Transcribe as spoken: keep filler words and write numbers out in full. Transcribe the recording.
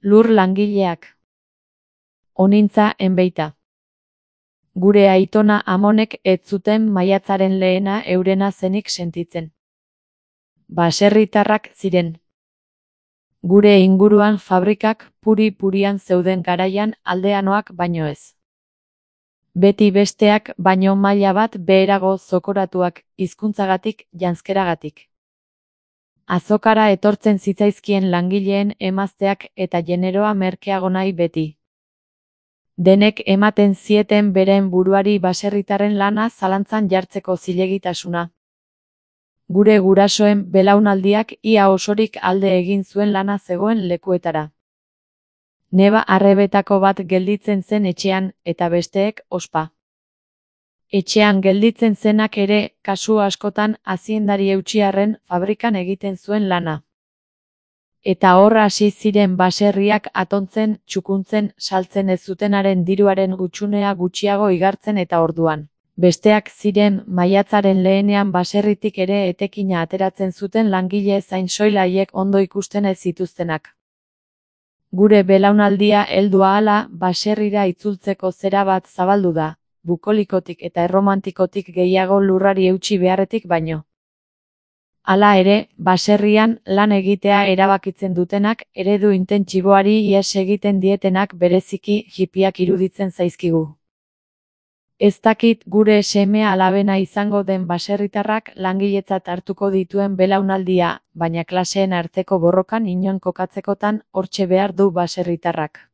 Lur langileak. Onintza enbeita. Gure aitona amonek ez zuten maiatzaren lehena eurena zenik sentitzen. Baserritarrak ziren. Gure inguruan fabrikak puri-purian zeuden garaian aldeanoak baino ez. Beti besteak baino maila bat beherago zokoratuak hizkuntzagatik janzkeragatik. Azokara etortzen zitzaizkien langileen emazteak eta generoa merkeago nahi beti. Denek ematen zieten beren buruari baserritarren lana zalantzan jartzeko zilegitasuna. Gure gurasoen belaunaldiak ia osorik alde egin zuen lana zegoen lekuetara. Neba arrebetako bat gelditzen zen etxean eta besteek ospa. Etxean gelditzen zenak ere, kasu askotan aziendari eutxiarren fabrikan egiten zuen lana. Eta hor hasi ziren baserriak atontzen, txukuntzen, saltzen ez zutenaren diruaren gutxunea gutxiago igartzen eta orduan. Besteak ziren maiatzaren lehenean baserritik ere etekina ateratzen zuten langile zain soil haiek ondo ikusten ez zituztenak. Gure belaunaldia heldu ahala baserrira itzultzeko zera bat zabaldu da, bukolikotik eta erromantikotik gehiago lurrari eutsi beharretik baino. Hala ere, baserrian lan egitea erabakitzen dutenak, eredu intentsiboari ihes egiten dietenak bereziki hipiak iruditzen zaizkigu. Ez dakit gure seme alabena izango den baserritarrak langiletzat hartuko dituen belaunaldia, baina klaseen arteko borrokan inon kokatzekotan hortxe behar du baserritarrak.